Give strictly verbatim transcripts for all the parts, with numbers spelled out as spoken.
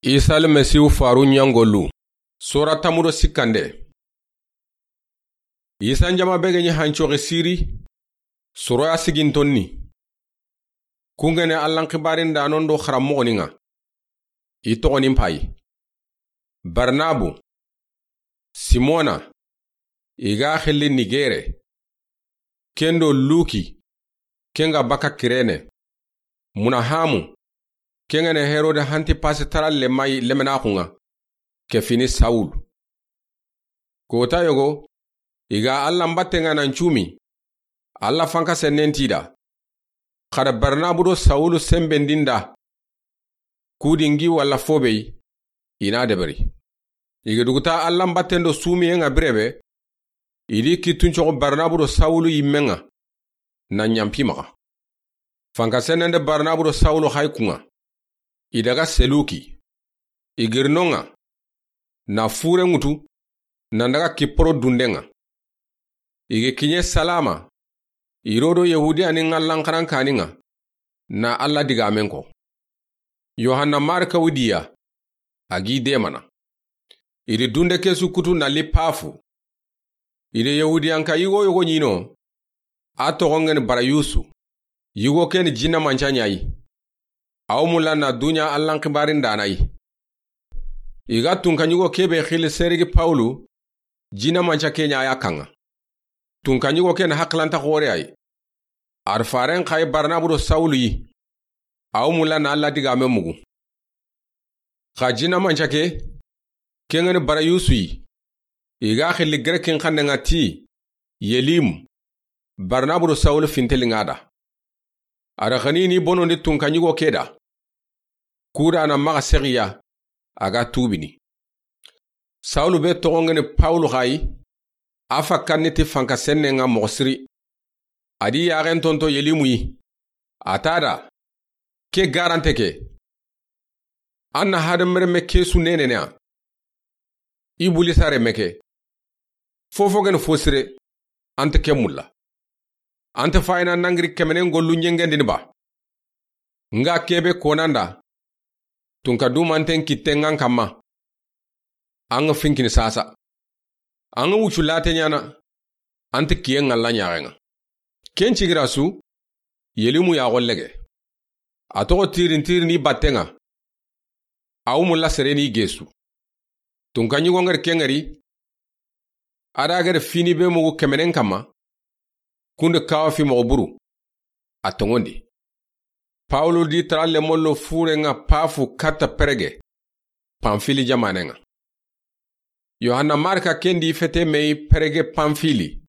Isa Almasihu faru ɲangolu. Sora tamudo sikkande. Isa njama be ga ɲi hancoxi siri, soroya sigintonni. Kungene Allan xibarin da non do xaramoxoninga. I toxonin payi. Barnabu, Simona, i ga xilli Nigere, kendo Luki, kenga baka Kirene, Munahamu, kengene Herode Hantipasi tara lemayi lemenaxunga, ke fini Sawulu. Kota yogo, i ga Alla mbattenga nan cumi, Alla fanka sennen tida. Xada Barnabu do Sawulu sembendinda, kudingi walla fobey, i na deberi. I ga duguta Alla mbatten do sumiyenga birebe, i di kittuncoxo Barnabu do Sawulu yimmenga, na ɲampi maxa. Fanka sennende Barnabu do Sawulu xay kunga. I daga Seluki. I girinonga, na fure ŋutu, nan daga Kiporo dundenga. I ga kiɲe Salama, i rodo Yahudiya ni ŋallanxaran kaninga, na Alla digamen ko. Yohanna Marka widiya, a gi demana. I di dunde kesu kutu na li Pafu. I di Yahudiyanka yigo yogo ɲino, a toxongeni Barayusu, yigo keni jinna manca ɲayi. Aw mulla na duɲa Allan xibarin danayi. I ga tunka ɲigo kebe xili Serigi Pawulu, jinna manca ke ɲa ya kanga. Tunka ɲigo ken haklanta xore ayi. Ar faren xay Barnabu do Sawulu yi. Aw mulla na Alla digame mugu. Xa jinna manca ke, kengeni Barayusu yi. I ga xilli Grekin xannenga ti, Yelimu, Barnabu do Sawulu fintelinga da. A da xanini bonondi tunka ɲigo ke da. Kuda na maxa sexiya, a ga tubini. Sawulu be toxongeni Pawulu xayi, a fakkanni ti fanka sennenga moxo siri. A di yaxen tonto Yelimu yi. A tada, ke garante ke. An na hadamreme kesu nenene a. Ibulisa reme ke. Fofo geni fo sire, ante ke mulla. Ante fayina nangiri kemenen gollu ɲengendini ba. Nga kebe konanda. Tunka dumanten kitten ŋan kamma. An ga finkini sasa. An ga wucu late ɲana. Ante kiyen ŋalla ɲaxenga. Ken cigira su, Yelimu ya xollege. A toxo tirin tirini battenga. Aw mulla sereni gesu. Tunka ɲigo ngari kengari. A da gere fini be mugu kemenen kamma. Kunde kawa fi moxo buru. A tongondi. Pawulu di tara lemollo furenga Pafu katta Perege, Pamfili jamanenga. Yohanna Marka kendi fete meyi Perege Pamfili,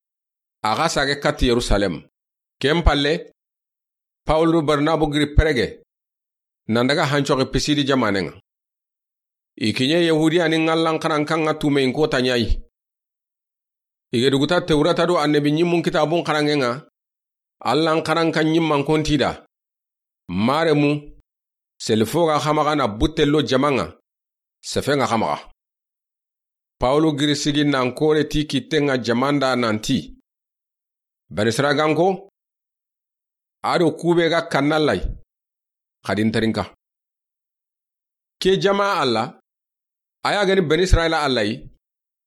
a ga sage katti Yerusalem. Ken palle, Pawulu Barnabu giri Perege, nan daga hancoxi Pisidi jamanenga. I kiɲe Yahudiya ni ŋallan xaran kanga tumeyin kota ɲayi. I ga duguta Tewrata do annabi ɲimmun kitabun xaranŋenga, Allan xaranka ɲimman kontida. Maremu, selifo ga xamaxa na buttello jamanga, sefenga xamaxa. Pawulu giri sigi nan kore ti kittenga jamanda nanti. Banisiraganko, a do kube ga kannallay, xadin tarinka. Ke jama Alla, a ya gani Bani Israila Alla yi,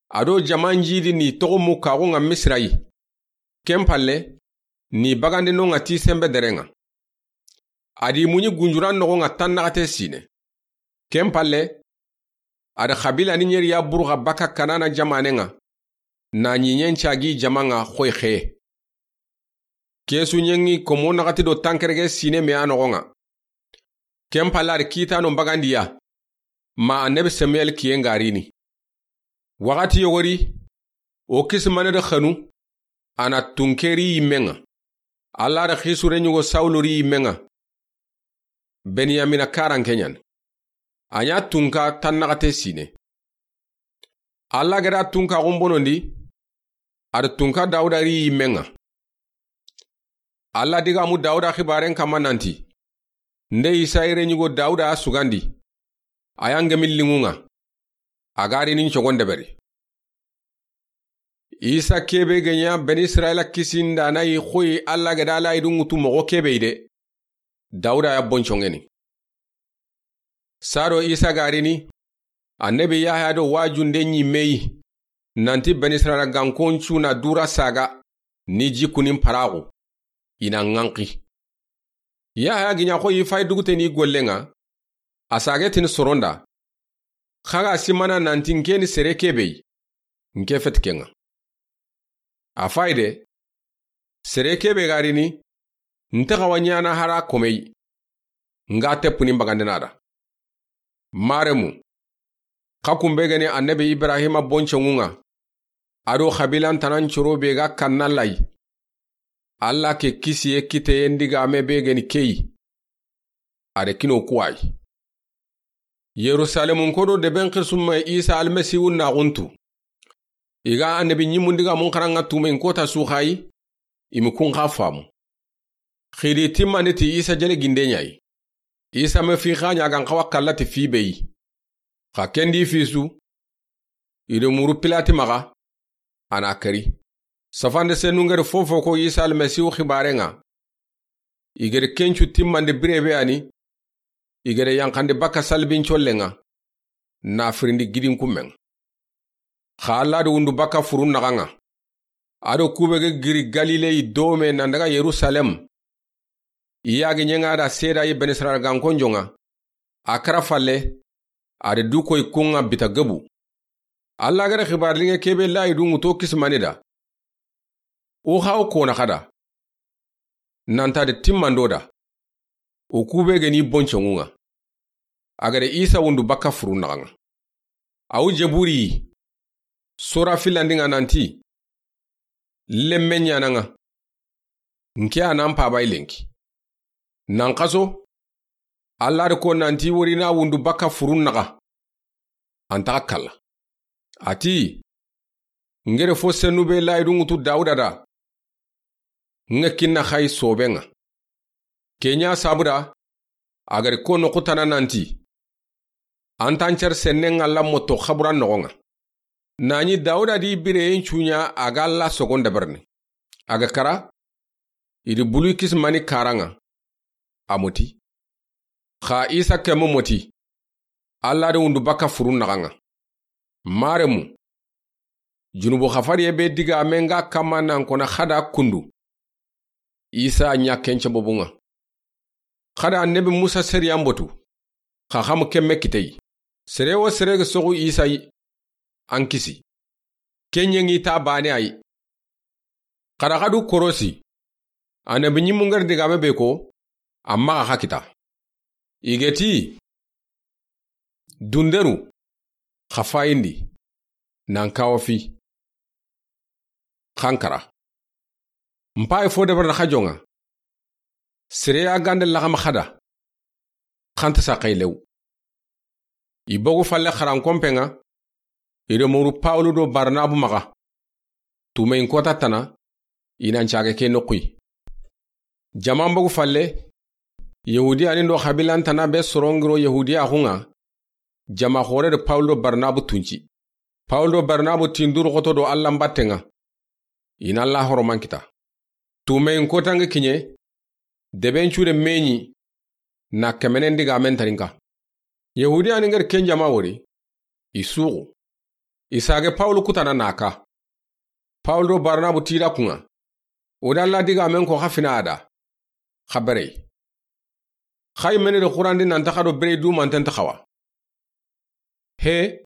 a do jaman jidi ni toxo mu kaxunga Misira yi. Ken palle, ni bagandi nonga ti sembe derenga. A di muɲi gunjuran noxonga tannaxate sine. Ken palle, a da xabila ni ɲeri ya buruxa baka Kanana jamanenga, na ɲiɲen cagi jamanga xoy xeye. Kesu ɲengi komo naxati do tankerege sine me a noxonga. Ken palle a da kitano bagandiya, ma annabi Samuel kiyen garini. Waxati yogori, o kisimane da xanu, a na tunkeri yimmenga. Alla da xisure ɲugo Sawulu ri yimmenga. Benyamina karan kenyan. A ɲa tunka tannaxate sine. Alla ga da tunka xumbonondi, a da tunka Dawuda ri yimmenga. Alla digamu Dawuda xibaren kamma nanti, nde Isa yere ɲugo Dawuda a sugandi, a ya ngemi linŋunga, a ga rini n cogon deberi. Isa kebe ga ɲa Bani Israila kisindana yi xoyi Alla ga da layidu ŋutu moxo kebe yi de. Dawuda ya boncoŋeni. Sado Isa ga rini, Annabi Yahaya do wajunde ɲimme yi, nanti Bani Israila gankon cu na dura saga ni jikkunin paraxu, i na ŋanxi. Yahaya gi ɲa xo i fay duguteni gollen ŋa, a sage tini soronda, xa ga simana nanti nke ni sere kebe yi, nke feti ken ŋa. A fayde, sere kebe ga rini, nta xawa ɲana hara komey, nga teppuni mbagandena da. Maremu, xa kumbe gani Annabi Ibrahima boncenŋun ŋa, ado xabilan tanan coro be ga kanna lay. Alla ke kisiye kiteyen digame be gani keyi. A de kino kuwayi. Yerusalemun kodo deben xirsumme Isa Almasiwu naxuntu. I ga Annabi ɲimmun digamun xaranŋa tumen kota su xayi, i mi kun xa famu. Xidi timmandi ti Isa jele ginde ɲayi. Isa me fi xa ɲa gan xawa kallati fi beyi. Xa kendi fisu, i do muru Pilati maxa, a na keri. Safande senu ngeri fofo ko Isa Almasiwu xibaren ŋa. I geri kencu timmandi birebe ani, i geri yanxandi bakka salbin collen ŋa, na firindi gidin kummen ŋa. Xa Alla do wundu bakka furun naxan ŋa. Ado kube ge giri Galile yi dome nan daga Yerusalem. I yagi ɲenŋa da seda yi Bani Israila gankon jonŋa. A kara falle, a de du koy kun ŋa bita gebu. Alla gada xibar linŋe kebe layi dunŋu to kisimani da. O xa o kona xada. Nanta de timmando da. O kube geni boncenŋun ŋa. A gada Isa wundu bakka furun naxan ŋa. Awu jeburi yi. Sora filandi ŋa nanti. Lemme ɲana ŋa. Nke a nan pabay lenki. Nan xaso. Alla de ko nanti wori na wundu bakka furun naxa. An taxa kalla. A ti, ngere fo senu be layi dunŋu tu Dawuda da. Nga kinna xayi soben ŋa. Ke ɲa sabuda, a gari ko noxu tana nanti. An tan cer sennen ŋa la moto xaburan noxon ŋa. Nani Dawuda di bireyen cuɲa a ga la sogon dabarni. A ga kara, i di bulu kisimani karan ŋa. A moti. Xa Isa kemu moti. Alla de wundu bakka furun naxan ŋa. Maremu. Junubu xafariye be digame nga kamma nan kona xada kundu. Isa ɲa kence bobun ŋa. Xada Annabi Musa seriyan botu. Xa xamu kemme kiteyi. Sere wo sere ga soxu Isa yi. An kisi. Kenɲe ŋi ta bane ayi. Xada xadu korosi. Annabi ɲimmu ngari digame be ko. Amma xa kita. I geti. Dunderu. Xa fayindi. Nan kawo fi. Xankara. Mpayi fo debar na xajon ŋa. Sere ya gande laxama xada. Xanta sa xay lew. I bogu falle xaran kompen ŋa. I do muru Pawulu do Barnabu maxa. Tumeyin kota tana. I nan cage ke noxuyi. Jaman bogu falle. Yahudiya ni do xabilan tana be sorongiro Yahudiya xun ŋa. Jama xore do Pawulu do Barnabu tunci. Pawulu do Barnabu tinduru xoto do Alla mbatten ŋa. I na Alla horoman kita. Tumeyin kotanŋe kiɲe. Deben cude meɲi. Na kemenen digamen tarinka. Yahudiya ni ngari ken jama wori. I suxu. I sage Pawulu kutana na ka. Pawulu do Barnabu tida kun ŋa. O da Alla digamen ko xa fina a da. Xa berey. Xay mene do xurandi nanta xa do berey dumanten ta xawa. He.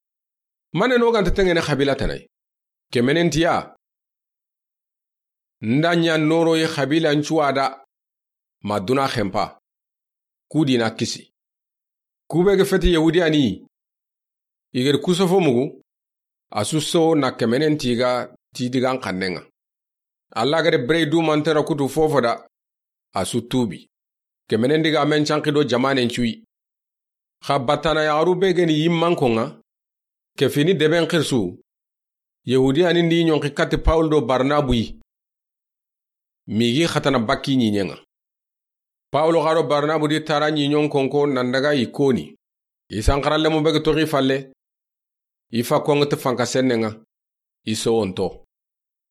Mane no ganta tengene xabila tanay. Kemenen tiya. Nda ɲa noroyi xabilan cuwa da. Ma duna xempa. Kudi na kisi. Kube ga feti Yahudiya ni. I geri kusofo mugu. A su so na kemenen tiga ti digan xannen ŋa. Alla gada berey dumantera kutu fofo da. A su tubi. Kemenen digamen canki do jamanen cuyi. Xa batana yaxaru be geni yimmankon ŋa. Ke fini deben xirsu. Yahudiya ni ndi ɲonki kati Pawulu do Barnabu yi. Migi xatana bakki ɲiɲen ŋa. Pawulu xa do Barnabu di tara ɲiɲon konko nan daga i koni. I sanxara lemu be ga toxi falle. I fa konŋa ti fanka sennen ŋa. I sowonto.